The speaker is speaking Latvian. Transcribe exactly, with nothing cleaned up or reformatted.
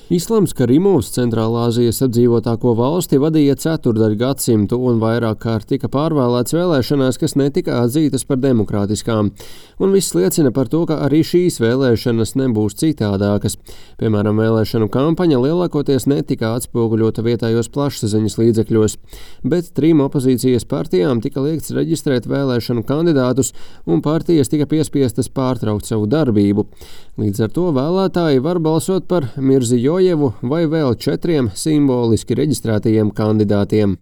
Islams Karimovs Centrālāzijas apdzīvotāko valsti vadīja ceturdaļu gadsimtu un vairāk kārt tika pārvēlēts vēlēšanās, kas netika atzītas par demokrātiskām. Un viss liecina par to, ka arī šīs vēlēšanas nebūs citādākas. Piemēram, vēlēšanu kampaņa lielākoties netika atspoguļota vietējos plašsaziņas līdzekļos, bet trim opozīcijas partijām tika liekts reģistrēt vēlēšanu kandidātus un partijas tika piespiestas pārtraukt savu darbību. Līdz ar to vēlētāji var balsot par Mirzijojevu vai vēl četriem simboliski reģistrētajiem kandidātiem.